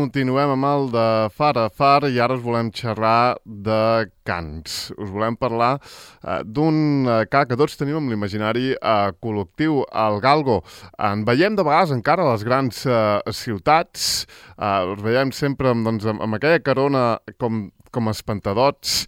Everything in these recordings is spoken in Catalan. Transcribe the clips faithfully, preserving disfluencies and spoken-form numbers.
continuem amb el de Far a Far i ara us volem xerrar de cants. Us volem parlar eh, d'un eh, ca que tots tenim amb l'imaginari eh, col·lectiu, el galgo. En veiem de vegades encara a les grans eh, ciutats, eh, els veiem sempre amb, doncs, amb, amb aquella carona com com espantadots,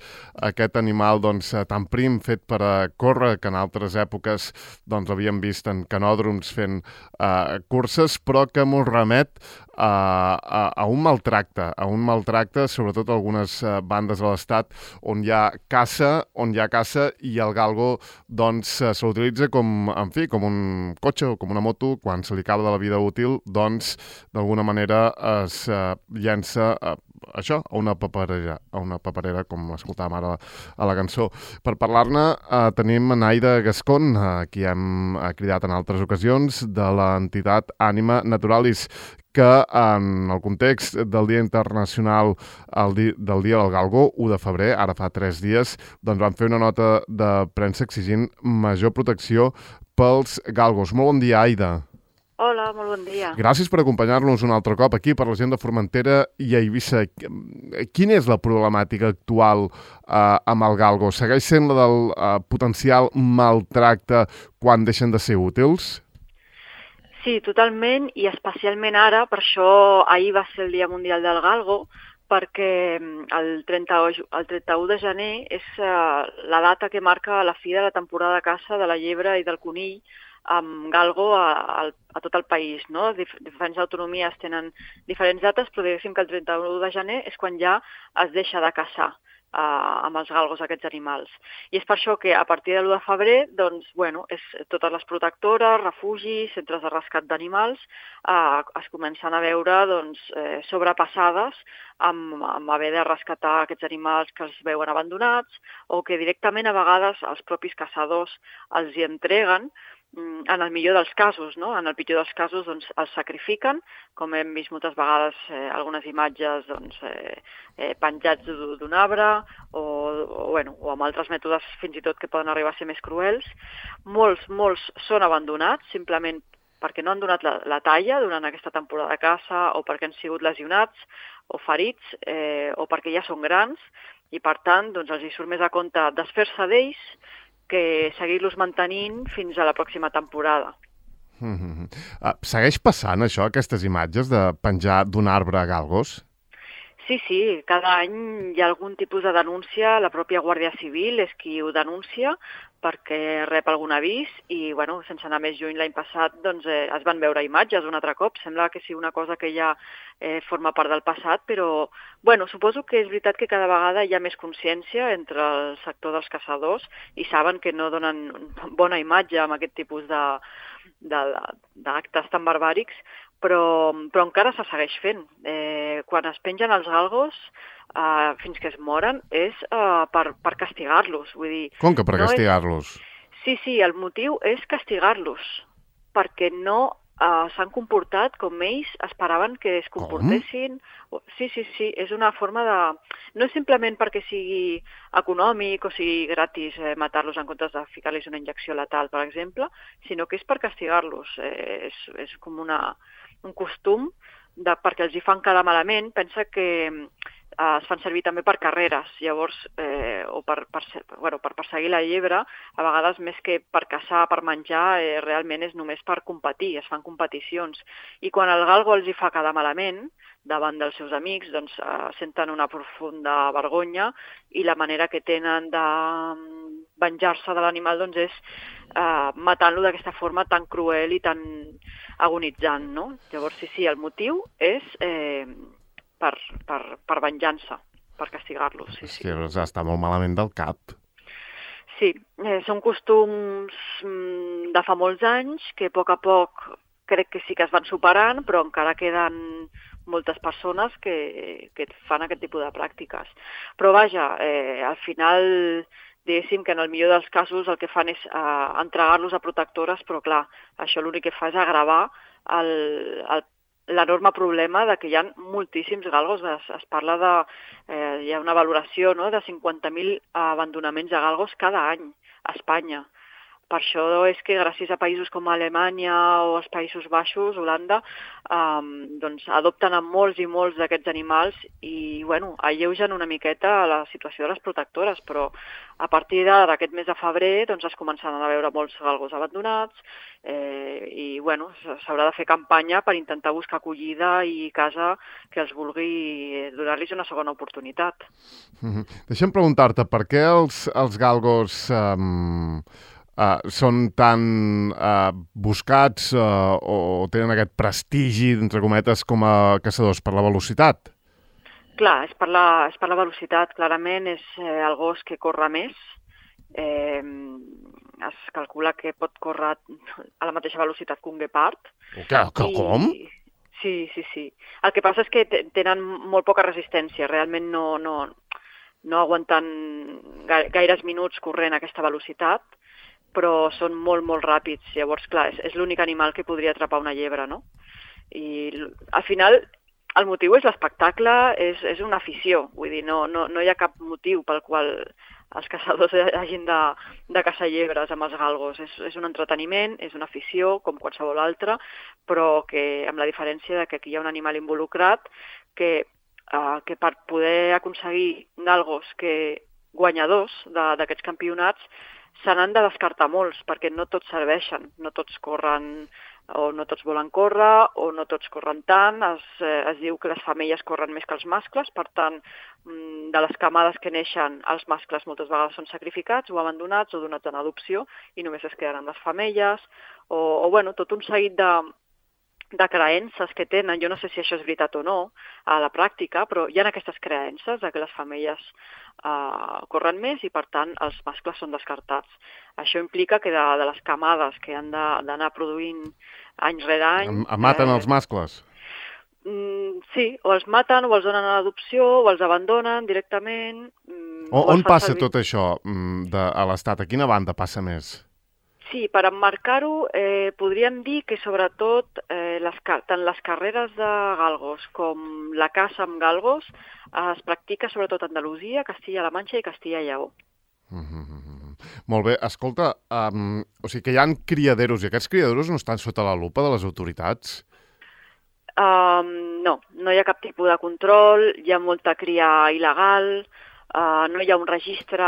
aquest animal doncs, tan prim fet per a córrer, que en altres èpoques doncs, havíem vist en canòdroms fent eh, curses, però que m'ho remet a, a, a un maltracte, a un maltracte, sobretot a algunes eh, bandes de l'estat on hi ha caça, on hi ha caça i el galgo doncs, se l'utilitza com, en fi, com un cotxe o com una moto, quan se li acaba de la vida útil, doncs, d'alguna manera es eh, llença eh, això, a una paperera, a una paperera, com escoltàvem ara a la cançó. Per parlar-ne eh, tenim Naida Gascón, eh, qui hem eh, cridat en altres ocasions, de l'entitat Ànima Naturalis, que en el context del Dia Internacional el di del Dia del Galgo, u de febrer, ara fa tres dies, doncs van fer una nota de premsa exigint major protecció pels galgos. Molt bon dia, Aida. Hola, molt bon dia. Gràcies per acompanyar-nos un altre cop aquí per la gent de Formentera i Eivissa. Quina és la problemàtica actual eh, amb el galgo? Segueix sent la del eh, potencial maltracte quan deixen de ser útils? Sí, totalment, i especialment ara, per això ahir va ser el Dia Mundial del Galgo, perquè el trenta-u de gener és uh, la data que marca la fi de la temporada de caça de la llebre i del conill amb galgo a, a, a tot el país, no? Dif diferents autonomies tenen diferents dates, però diguéssim que el trenta-u de gener és quan ja es deixa de caçar eh, amb els galgos aquests animals. I és per això que a partir de l'u de febrer, doncs, bueno, és, totes les protectores, refugis, centres de rescat d'animals, eh, es comencen a veure doncs, eh, sobrepassades amb, amb haver de rescatar aquests animals que els veuen abandonats o que directament a vegades els propis caçadors els hi entreguen. En el millor dels casos, no? En el pitjor dels casos doncs, els sacrifiquen, com hem vist moltes vegades eh, algunes imatges doncs, eh, eh, penjats d'un arbre o, o, bueno, o amb altres mètodes fins i tot que poden arribar a ser més cruels. Molts, molts són abandonats simplement perquè no han donat la, la talla durant aquesta temporada de caça o perquè han sigut lesionats o ferits eh, o perquè ja són grans i per tant doncs, els hi surt més a compte desfer-se d'ells que seguir-los mantenint fins a la pròxima temporada. Mm-hmm. uh, segueix passant això, aquestes imatges de penjar d'un arbre a galgos? Sí, sí, cada any hi ha algun tipus de denúncia, la pròpia Guàrdia Civil és qui ho denuncia perquè rep algun avís i, bueno, sense anar més lluny, l'any passat doncs, eh, es van veure imatges un altre cop. Sembla que sigui una cosa que ja eh, forma part del passat, però, bueno, suposo que és veritat que cada vegada hi ha més consciència entre el sector dels caçadors i saben que no donen bona imatge amb aquest tipus de d'actes tan barbàrics, però, però encara se segueix fent. Eh, quan es pengen els galgos, eh, fins que es moren, és eh, per, per castigar-los. Vull dir, Com que per no castigar-los? És... Sí, sí, el motiu és castigar-los, perquè no eh, s'han comportat com ells esperaven que es comportessin. Com? Sí, sí, sí, és una forma de... No és simplement perquè sigui econòmic o sigui gratis eh, matar-los en comptes de ficar-los una injecció letal, per exemple, sinó que és per castigar-los. Eh, és, és com una, un costum de, perquè els hi fan quedar malament. Pensa que eh, es fan servir també per carreres, llavors, eh, o per, per, bueno, per perseguir la llebre, a vegades més que per caçar, per menjar, eh, realment és només per competir, es fan competicions. I quan el galgo els hi fa quedar malament, davant dels seus amics, doncs eh, senten una profunda vergonya i la manera que tenen de venjar-se de l'animal doncs, és eh, matant-lo d'aquesta forma tan cruel i tan agonitzant, no? Llavors, sí, sí, el motiu és eh, per, per, per venjança, per castigar-los. Sí, sí. Hòstia, està molt malament del cap. Sí, eh, són costums mm, de fa molts anys que a poc a poc crec que sí que es van superant, però encara queden moltes persones que, que fan aquest tipus de pràctiques. Però vaja, eh, al final, diguéssim que en el millor dels casos el que fan és eh, entregar-los a protectores, però clar, això l'únic que fa és agravar el, el, l'enorme problema de que hi ha moltíssims galgos. Es, es parla de, eh, hi ha una valoració, no?, de cinquanta mil abandonaments de galgos cada any a Espanya. Per això és que gràcies a països com Alemanya o els Països Baixos, Holanda, um, doncs adopten a molts i molts d'aquests animals i bueno, alleugen una miqueta la situació de les protectores, però a partir d'aquest mes de febrer doncs es començaran a veure molts galgos abandonats eh, i bueno, s'haurà de fer campanya per intentar buscar acollida i casa que els vulgui donar-los una segona oportunitat. Mm-hmm. Deixa'm preguntar-te, per què els, els galgos um, uh, són tan uh, buscats uh, o tenen aquest prestigi, entre cometes, com a caçadors? Per la velocitat? Clar, és per la, és per la velocitat, clarament és eh, el gos que corre més. Eh, es calcula que pot córrer a la mateixa velocitat que un guepard. Que, que, com? I... Sí, sí, sí. El que passa és que tenen molt poca resistència, realment no, no, no aguanten gaires minuts corrent a aquesta velocitat, però són molt, molt ràpids. Llavors, clar, és, és l'únic animal que podria atrapar una llebre, no? I al final el motiu és l'espectacle, és, és una afició, vull dir, no, no, no hi ha cap motiu pel qual els caçadors hagin de, de caçar llebres amb els galgos. És, és un entreteniment, és una afició, com qualsevol altra, però que amb la diferència de que aquí hi ha un animal involucrat que, eh, que per poder aconseguir galgos que guanyadors d'aquests campionats se n'han de descartar molts, perquè no tots serveixen, no tots corren o no tots volen córrer, o no tots corren tant. Es, eh, es diu que les femelles corren més que els mascles, per tant, de les camades que neixen, els mascles moltes vegades són sacrificats o abandonats o donats en adopció i només es queden amb les femelles, o, o bueno, tot un seguit de, de creences que tenen. Jo no sé si això és veritat o no a la pràctica, però hi ha aquestes creences de que les femelles Uh, corren més i, per tant, els mascles són descartats. Això implica que de, de les camades que han d'anar produint any rere any... Em, em maten eh, els mascles? Mm, sí, o els maten, o els donen a l'adopció, o els abandonen directament... Mm, o, on passa servir... tot això de, a l'Estat? A quina banda passa més? Sí, per emmarcar-ho, eh, podríem dir que sobretot eh, les, tant les carreres de galgos com la caça amb galgos eh, es practica sobretot a Andalusia, Castilla-La Manxa i Castilla-Lleó. Mm-hmm. Molt bé, escolta, um, o sigui que hi ha criaderos i aquests criaderos no estan sota la lupa de les autoritats? Um, no, no hi ha cap tipus de control, hi ha molta cria il·legal... Uh, no hi ha un registre,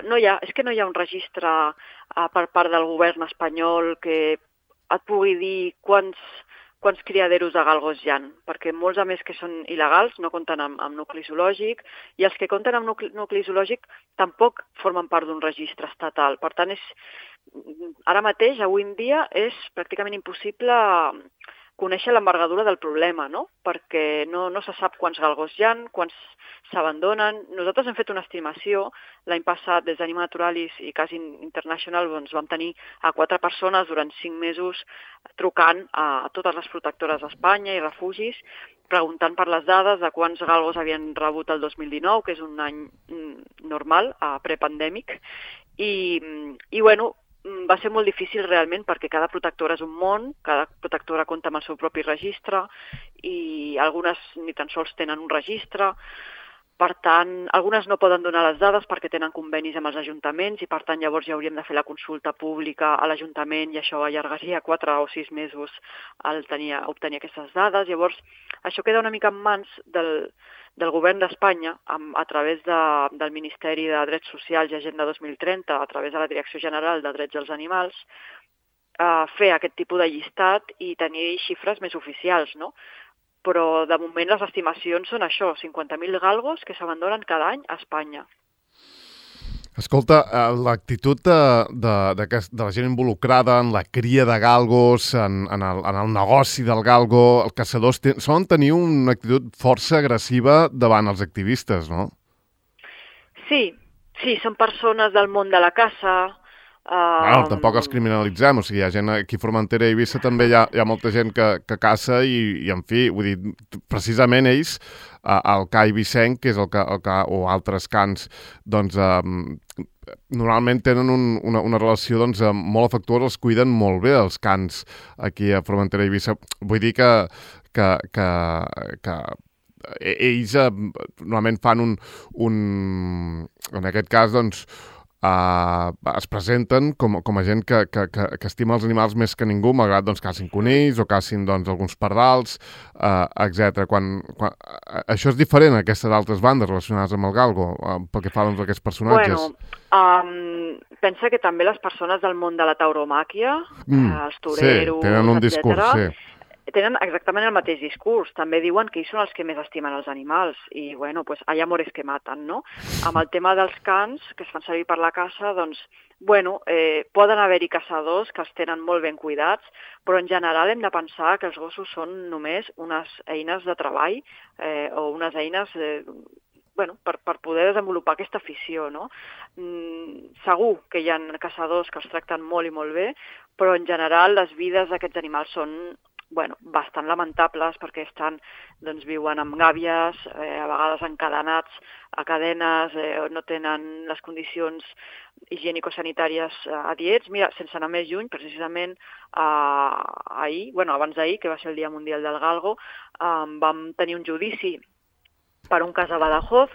no hi ha, és que no hi ha un registre uh, per part del govern espanyol que et pugui dir quants, quants criaderos de galgos hi ha, perquè molts a més que són il·legals no compten amb, amb nucli zoològic i els que compten amb nucli, nucli zoològic tampoc formen part d'un registre estatal. Per tant, és, ara mateix, avui en dia, és pràcticament impossible conèixer l'envergadura del problema, no? Perquè no, no se sap quants galgos hi ha, quants s'abandonen. Nosaltres hem fet una estimació, l'any passat des d'Anima Naturalis i Cas International doncs, vam tenir a quatre persones durant cinc mesos trucant a totes les protectores d'Espanya i refugis, preguntant per les dades de quants galgos havien rebut el dos mil dinou, que és un any normal, prepandèmic, i, i bueno, va ser molt difícil realment perquè cada protectora és un món, cada protectora compta amb el seu propi registre i algunes ni tan sols tenen un registre. Per tant, algunes no poden donar les dades perquè tenen convenis amb els ajuntaments i per tant llavors ja hauríem de fer la consulta pública a l'Ajuntament i això allargaria quatre o sis mesos al tenir, obtenir aquestes dades. Llavors, això queda una mica en mans del, del govern d'Espanya a través de, del Ministeri de Drets Socials i Agenda dos mil trenta, a través de la Direcció General de Drets dels Animals, a fer aquest tipus de llistat i tenir xifres més oficials, no? Però de moment les estimacions són això, cinquanta mil galgos que s'abandonen cada any a Espanya. Escolta, l'actitud de, de, de, de la gent involucrada en la cria de galgos, en, en, el, en el negoci del galgo, els caçadors ten, solen tenir una actitud força agressiva davant els activistes, no? Sí, sí, són persones del món de la caça. Uh... Bueno, tampoc els criminalitzem, o sigui, hi ha gent aquí a Formentera i Eivissa també hi ha, hi ha molta gent que, que caça i, i, en fi, vull dir, precisament ells, uh, el ca eivissenc, que és el ca, el ca, o altres cans, doncs, uh, normalment tenen un, una, una relació doncs, molt afectuosa, els cuiden molt bé els cans aquí a Formentera i Eivissa. Vull dir que, que, que, que ells uh, normalment fan un, un, en aquest cas, doncs, uh, es presenten com, com a gent que, que, que, que estima els animals més que ningú, malgrat doncs, cacin conills o cacin doncs, alguns pardals, uh, etcètera. Quan, quan, uh, això és diferent a aquestes altres bandes relacionades amb el galgo, uh, pel que fa doncs, a aquests personatges? Bueno, um, pensa que també les persones del món de la tauromàquia, mm, uh, els toreros, sí, tenen un discurs, etcètera, sí. Tenen exactament el mateix discurs. També diuen que ells són els que més estimen els animals i, bueno, pues hay amores que maten, no? Amb el tema dels cans, que es fan servir per la caça, doncs, bueno, eh, poden haver-hi caçadors que els tenen molt ben cuidats, però en general hem de pensar que els gossos són només unes eines de treball eh, o unes eines... Eh, bueno, per, per poder desenvolupar aquesta afició, no? Mm, segur que hi ha caçadors que els tracten molt i molt bé, però en general les vides d'aquests animals són bueno, bastant lamentables perquè estan, doncs, viuen amb gàbies, eh, a vegades encadenats a cadenes, eh, no tenen les condicions higiènico-sanitàries eh, adients. Mira, sense anar més lluny, precisament eh, ahir, bueno, abans d'ahir, que va ser el Dia Mundial del Galgo, eh, vam tenir un judici per un cas a Badajoz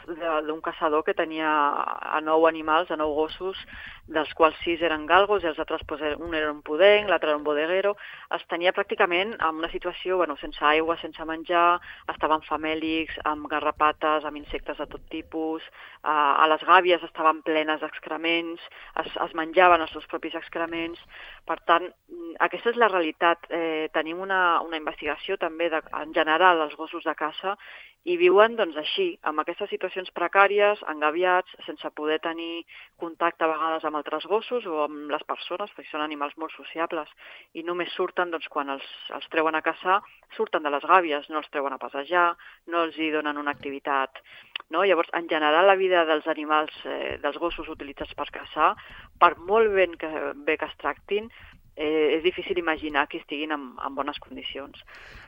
d'un caçador que tenia a nou animals, a nou gossos, dels quals sis eren galgos i els altres, pues, un era un pudenc, l'altre era un bodeguero. Els tenia pràcticament en una situació bueno, sense aigua, sense menjar, estaven famèlics, amb garrapates, amb insectes de tot tipus, eh, a les gàbies estaven plenes d'excrements, es, es menjaven els seus propis excrements. Per tant, aquesta és la realitat. Eh, tenim una, una investigació també de, en general dels gossos de caça i viuen doncs, així, amb aquestes situacions precàries, engabiats, sense poder tenir contacte a vegades amb altres gossos o amb les persones, perquè són animals molt sociables, i només surten doncs, quan els, els treuen a caçar, surten de les gàbies, no els treuen a passejar, no els hi donen una activitat. No? Llavors, en general, la vida dels animals, eh, dels gossos utilitzats per caçar, per molt ben que, bé que es tractin, Eh, és difícil imaginar que estiguin en, en bones condicions.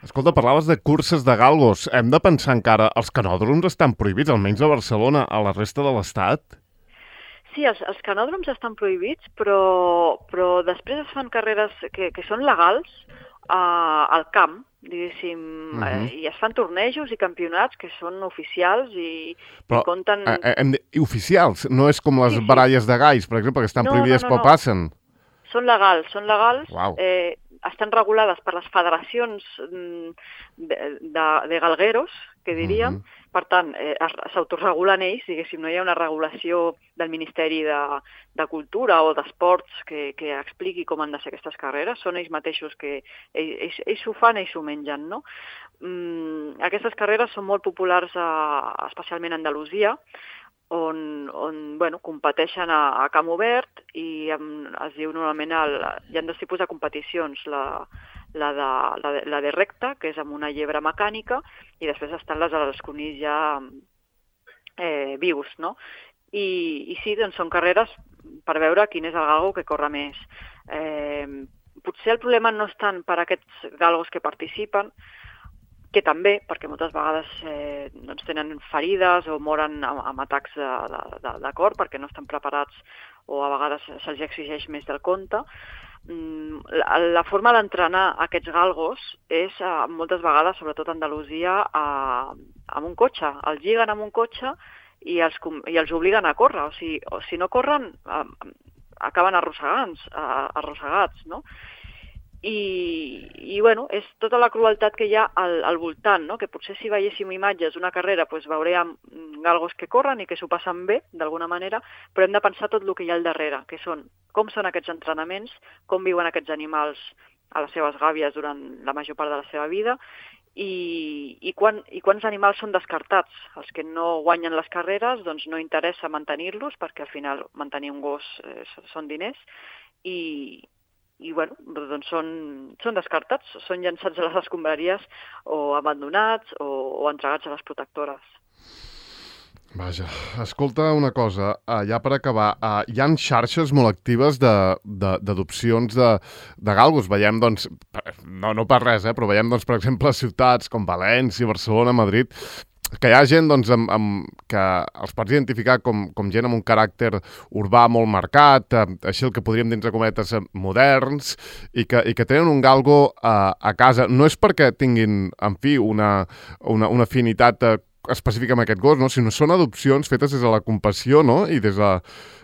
Escolta, parlaves de curses de galgos. Hem de pensar encara, els canòdroms estan prohibits, almenys a Barcelona, a la resta de l'Estat? Sí, els, els canòdroms estan prohibits, però, però després es fan carreres que, que són legals uh, al camp, diguéssim, uh-huh. eh, i es fan tornejos i campionats que són oficials i, però, i compten... Eh, hem de... Oficials? No és com les sí, sí. baralles de galls, per exemple, que estan no, prohibides no, no, però no. passen? Són legals, són legals, wow. eh, estan regulades per les federacions de, de, de galgueros, que diríem, uh-huh. Per tant, eh, s'autoregulen ells, diguéssim, no hi ha una regulació del Ministeri de, de Cultura o d'Esports que, que expliqui com han de ser aquestes carreres, són ells mateixos que ells, ells ho fan, ells ho mengen, no? Mm, aquestes carreres són molt populars a, especialment a Andalusia, on, on bueno, competeixen a, a camp obert i amb, es diu normalment, el, hi ha dos tipus de competicions, la, la, de, la, de, la de recta, que és amb una llebre mecànica, i després estan les dels conills ja eh, vius, no? I, i sí, doncs són carreres per veure quin és el galgo que corre més. Eh, potser el problema no és tant per aquests galgos que participen, que també, perquè moltes vegades eh, doncs tenen ferides o moren amb, amb atacs de, de, de cor perquè no estan preparats o a vegades se'ls exigeix més del compte. Mm, la, la forma d'entrenar aquests galgos és eh, moltes vegades, sobretot a Andalusia, a, amb un cotxe. Els lliguen amb un cotxe i els, i els obliguen a córrer. O sigui, o si no corren, eh, acaben arrossegats, eh, arrossegats, no? I, i bueno, és tota la crueltat que hi ha al, al voltant, no? Que potser si veiéssim imatges d'una carrera pues, veuríem galgos que corren i que s'ho passen bé, d'alguna manera, però hem de pensar tot el que hi ha al darrere, que són com són aquests entrenaments, com viuen aquests animals a les seves gàbies durant la major part de la seva vida i, i, quan, i quants animals són descartats. Els que no guanyen les carreres doncs no interessa mantenir-los perquè al final mantenir un gos eh, són diners i i bueno, doncs són, són descartats, són llançats a les escombraries o abandonats o, o entregats a les protectores. Vaja, escolta una cosa, uh, ja per acabar, uh, hi ha xarxes molt actives d'adopcions de, de, de galgos. Veiem, doncs, no, no per res, eh, però veiem, doncs, per exemple, ciutats com València, Barcelona, Madrid, que hi ha gent doncs, amb, amb, que els pots identificar com, com gent amb un caràcter urbà molt marcat, eh, així el que podríem dir entre cometes moderns, i que, i que tenen un galgo eh, a casa. No és perquè tinguin, en fi, una, una, una afinitat eh, específica amb aquest gos, no? Sinó són adopcions fetes des de la compassió, no? I des de,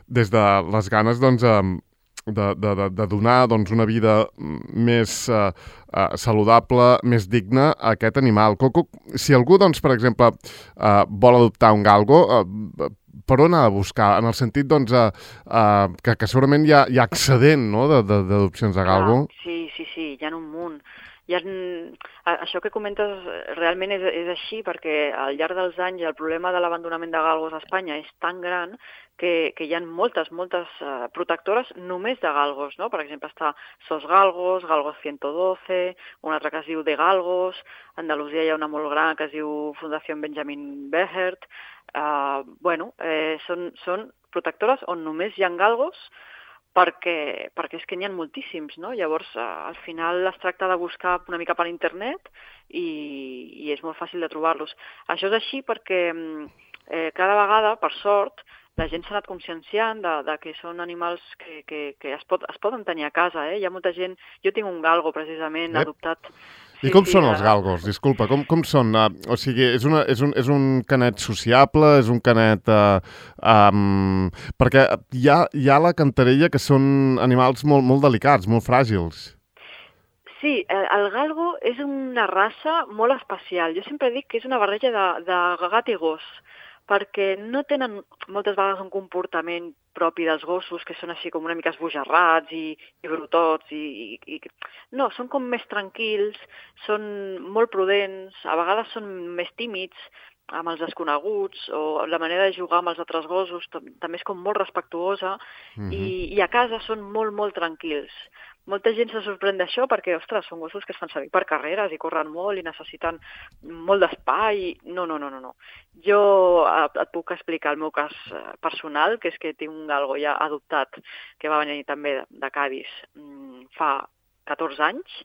des de les ganes, doncs, eh, de, de, de, de donar doncs, una vida més eh, eh, saludable, més digna a aquest animal. Coco, si algú, doncs, per exemple, eh, vol adoptar un galgo, eh, per on ha de buscar? En el sentit, doncs, eh, eh, que, que segurament hi ha, hi ha excedent, no?, d'adopcions de, de galgo. Ah, sí, sí, sí, hi ha un munt. Hi ha, això que comentes realment és, és així perquè al llarg dels anys el problema de l'abandonament de galgos a Espanya és tan gran que, que hi ha moltes, moltes uh, protectores només de galgos, no? Per exemple, està Sos Galgos, Galgos ciento doce, un altre que es diu De Galgos, a Andalusia hi ha una molt gran que es diu Fundació Benjamin Behert. Uh, bueno, eh, són, són protectores on només hi ha galgos, perquè, perquè és que n'hi ha moltíssims, no? Llavors, eh, al final es tracta de buscar una mica per internet i, i és molt fàcil de trobar-los. Això és així perquè eh, cada vegada, per sort, la gent s'ha anat conscienciant de, de que són animals que, que, que es, pot, es poden tenir a casa. Eh? Hi ha molta gent... Jo tinc un galgo, precisament, eh? adoptat... I com sí, són els galgos? Disculpa, com, com són? Uh, o sigui, és, una, és, un, és un canet sociable? És un canet... Uh, um, perquè hi ha, hi ha la cantarella que són animals molt, molt delicats, molt fràgils. Sí, el galgo és una raça molt especial. Jo sempre dic que és una barreja de, de gat i gos, perquè no tenen moltes vegades un comportament propi dels gossos, que són així com una mica esbojarrats i, i brutots. I, i, i... No, són com més tranquils, són molt prudents, a vegades són més tímids amb els desconeguts, o la manera de jugar amb els altres gossos també és com molt respectuosa, mm-hmm. i, i a casa són molt, molt tranquils. Molta gent se sorprèn d'això perquè, ostres, són gossos que es fan servir per carreres i corren molt i necessiten molt d'espai. No, no, no, no, no. Jo et puc explicar el meu cas personal, que és que tinc un galgo ja adoptat que va venir també de Cádiz fa catorze anys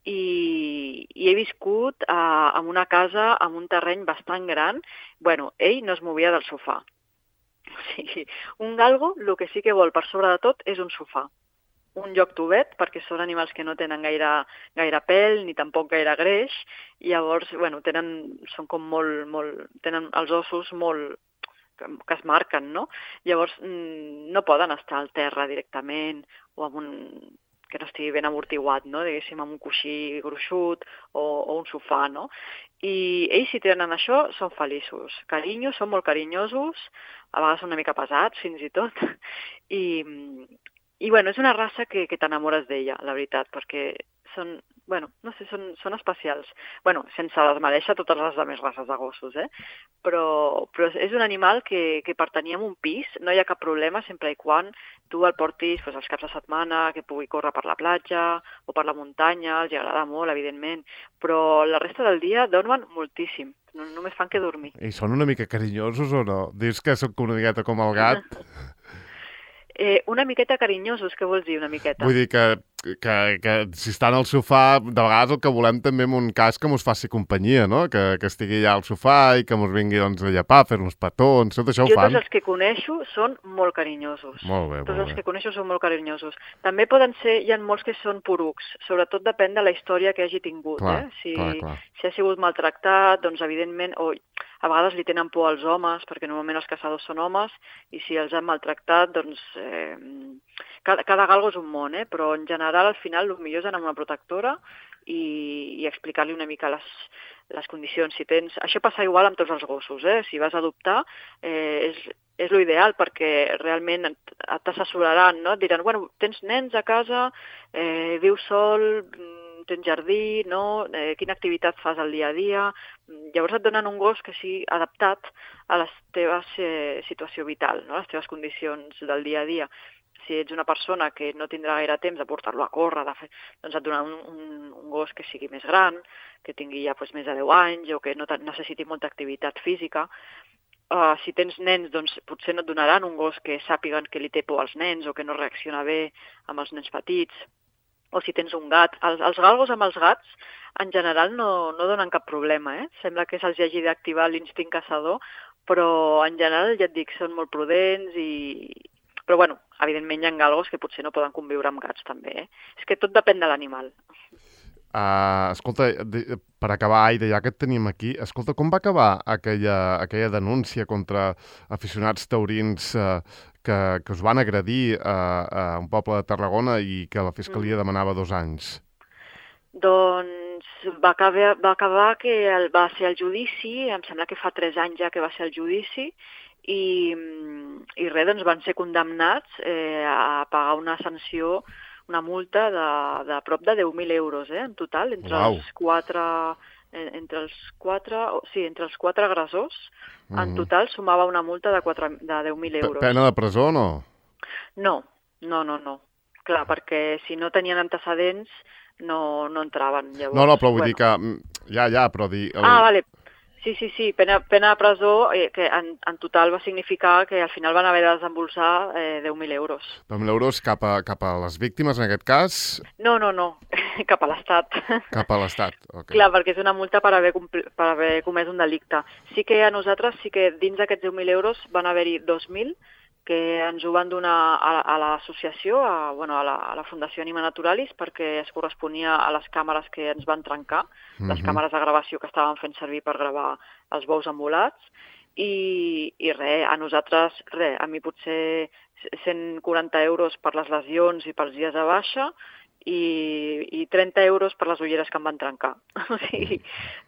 i, i he viscut eh, en una casa amb un terreny bastant gran. Bueno, ell no es movia del sofà. O sigui, un galgo el que sí que vol per sobre de tot és un sofà. Un lloc tubet, perquè són animals que no tenen gaire, gaire pèl ni tampoc gaire greix, i llavors, bueno, tenen, són com molt, molt, tenen els ossos molt, que, que es marquen, no? Llavors no poden estar al terra directament o amb un, que no estigui ben amortiguat, no? Diguéssim, amb un coixí gruixut o, o un sofà, no? I ells, si tenen això, són feliços. Carinyo, són molt carinyosos, a vegades són una mica pesats, fins i tot, i... I, bueno, és una raça que, que t'enamores d'ella, la veritat, perquè són, bueno, no sé, són, són especials. Bueno, sense desmereixer totes les altres races de gossos, eh? Però, però és un animal que, que per tenir en un pis no hi ha cap problema, sempre i quan tu el portis pues, els caps de setmana, que pugui córrer per la platja o per la muntanya, els agrada molt, evidentment, però la resta del dia dormen moltíssim, no, només fan que dormir. I són una mica carinyosos o no? Dius que són una miqueta com el gat? Eh, una miqueta carinyosos, què vols dir, una miqueta? Vull dir que, que, que si estan al sofà, de vegades el que volem també en un cas que mos faci companyia, no? Que, que estigui allà al sofà i que mos vingui doncs, a llepar, fer-nos petons, tot això ho jo fan. Jo tots els que coneixo són molt carinyosos. Molt bé, tots molt els bé. que coneixo són molt carinyosos. També poden ser, hi ha molts que són porucs, sobretot depèn de la història que hagi tingut. Clar, eh? Si, clar, clar. si ha sigut maltractat, doncs evidentment... O, a vegades li tenen por als homes, perquè normalment els caçadors són homes, i si els han maltractat, doncs... Eh, cada, cada galgo és un món, eh? Però en general, al final, el millor és anar amb una protectora i, i explicar-li una mica les, les condicions. Si tens... Això passa igual amb tots els gossos, eh? Si vas a adoptar, eh, és, és l'ideal, perquè realment t'assessoraran, no? Et diran, bueno, tens nens a casa, eh, vius sol... tens jardí, no? Eh, quina activitat fas al dia a dia. Llavors et donen un gos que sigui adaptat a les teves eh, situació vital, no? Les teves condicions del dia a dia. Si ets una persona que no tindrà gaire temps de portar-lo a córrer, de fer, doncs et donen un, un, un gos que sigui més gran, que tingui ja pues, més de deu anys o que no necessiti molta activitat física. Uh, si tens nens, doncs potser no et donaran un gos que sàpiguen que li té por als nens o que no reacciona bé amb els nens petits. O si tens un gat. Els, els galgos amb els gats, en general, no, no donen cap problema, eh? Sembla que se'ls hagi d'activar l'instint caçador, però en general, ja et dic, són molt prudents i... Però, bueno, evidentment hi ha galgos que potser no poden conviure amb gats, també, eh? És que tot depèn de l'animal. Uh, escolta, de, per acabar, Aida, ja que et tenim aquí, escolta, com va acabar aquella, aquella denúncia contra aficionats taurins uh, que, que us van agredir uh, a un poble de Tarragona i que la Fiscalia Mm. demanava dos anys? Doncs va acabar, va acabar que el, va ser el judici, em sembla que fa tres anys ja que va ser el judici, i, i res, doncs van ser condemnats eh, a pagar una sanció, una multa de, de prop de deu mil euros, eh, en total, entre Uau. els quatre, eh, entre els quatre, o- sí, entre els quatre agressors, en Mhm. total sumava una multa de, quatre, de deu mil Pe- euros. Pena de presó o no? No, no, no, no. Clar, perquè si no tenien antecedents no, no entraven. Llavors, No, no, però vull bueno. dir que... mm, Ja, ja, però dir... El... Ah, vale. Sí, sí, sí, pena, pena de presó, eh, que en, en total va significar que al final van haver de desembolsar eh, deu mil euros. deu mil euros cap a, cap a les víctimes, en aquest cas, No, no, no, cap a l'Estat. cap a l'Estat. Okay. Clar, perquè és una multa per haver, compli- per haver comès un delicte. Sí que a nosaltres, sí que dins d'aquests deu mil euros van haver-hi dos mil que ens ho van donar a, a l'associació, a, bueno, a, la, a la Fundació Anima Naturalis, perquè es corresponia a les càmeres que ens van trencar, les Mhm. càmeres de gravació que estaven fent servir per gravar els bous embolats, i, i res, a nosaltres, res, a mi potser cent quaranta euros per les lesions i pels dies de baixa, i, i trenta euros per les ulleres que em van trencar. O sigui,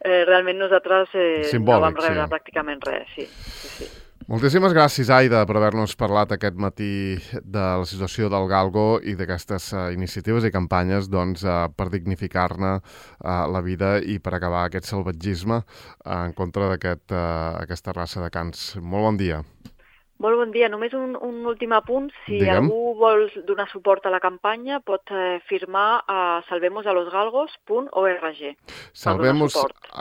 eh, realment nosaltres eh, Simbòlic, no vam rebre sí. pràcticament res, sí, sí, sí. Moltíssimes gràcies, Aida, per haver-nos parlat aquest matí de la situació del galgo i d'aquestes uh, iniciatives i campanyes doncs, uh, per dignificar-ne uh, la vida i per acabar aquest salvatgisme uh, en contra d'aquesta uh, raça de cans. Molt bon dia. Molt bon dia. Només un, un últim apunt. Si Digue'm. algú vol donar suport a la campanya, pot eh, firmar a salvemosalosgalgos punt org. Salvemos,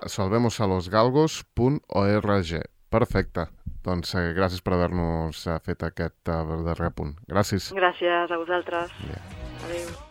salvemosalosgalgos punt org. Perfecte. Doncs eh, gràcies per haver-nos eh, fet aquest eh, darrer punt. Gràcies. Gràcies a vosaltres. Ja. Adéu.